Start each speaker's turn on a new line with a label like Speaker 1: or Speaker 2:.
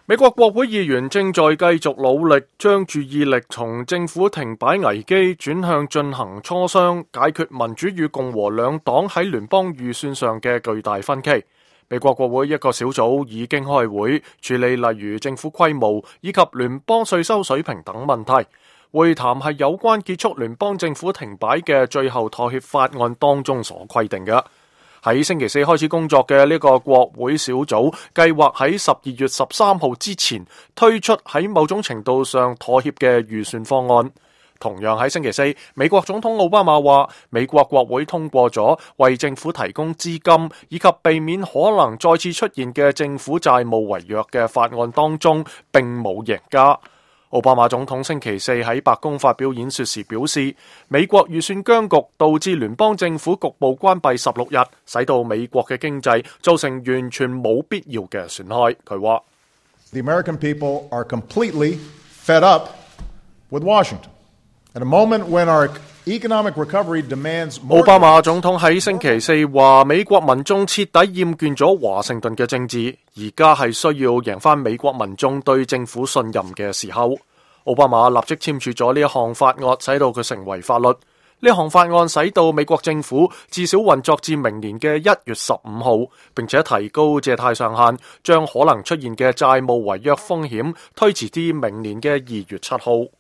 Speaker 1: 美國國會議員正在繼續努力將注意力從政府停擺危機轉向進行磋商，解決民主與共和兩黨喺聯邦預算上嘅巨大分歧。美國國會一個小組已經開會處理例如政府規模以及聯邦稅收水平等問題。會談係有關結束聯邦政府停擺嘅最後妥協法案當中所規定嘅。喺星期四開始工作嘅呢個國會小組計劃喺12月13號之前推出喺某種程度上妥協嘅預算方案。同樣喺星期四，美國總統奧巴馬話，美國國會通過咗為政府提供資金以及避免可能再次出現嘅政府債務違約嘅法案當中，並冇贏家。奧巴馬總統星期四喺白宮發表演說時表示，美國預算僵局導致聯邦政府局部關閉16日，使到美國嘅經濟造成完全冇必要嘅損害。佢話
Speaker 2: The American people are completely fed up with Washington. At a moment when our economic recovery demands more...
Speaker 1: 奧巴馬總統喺星期四話，美國民眾徹底厭倦咗華盛頓嘅政治，而家係需要贏返美國民眾對政府信任嘅時候。奧巴馬立即簽署咗呢一項法案，使到佢成為法律。呢項法案使到美國政府至少運作至明年嘅1月15號，並且提高借貸上限，將可能出現嘅債務違約風險推遲至明年嘅2月7號。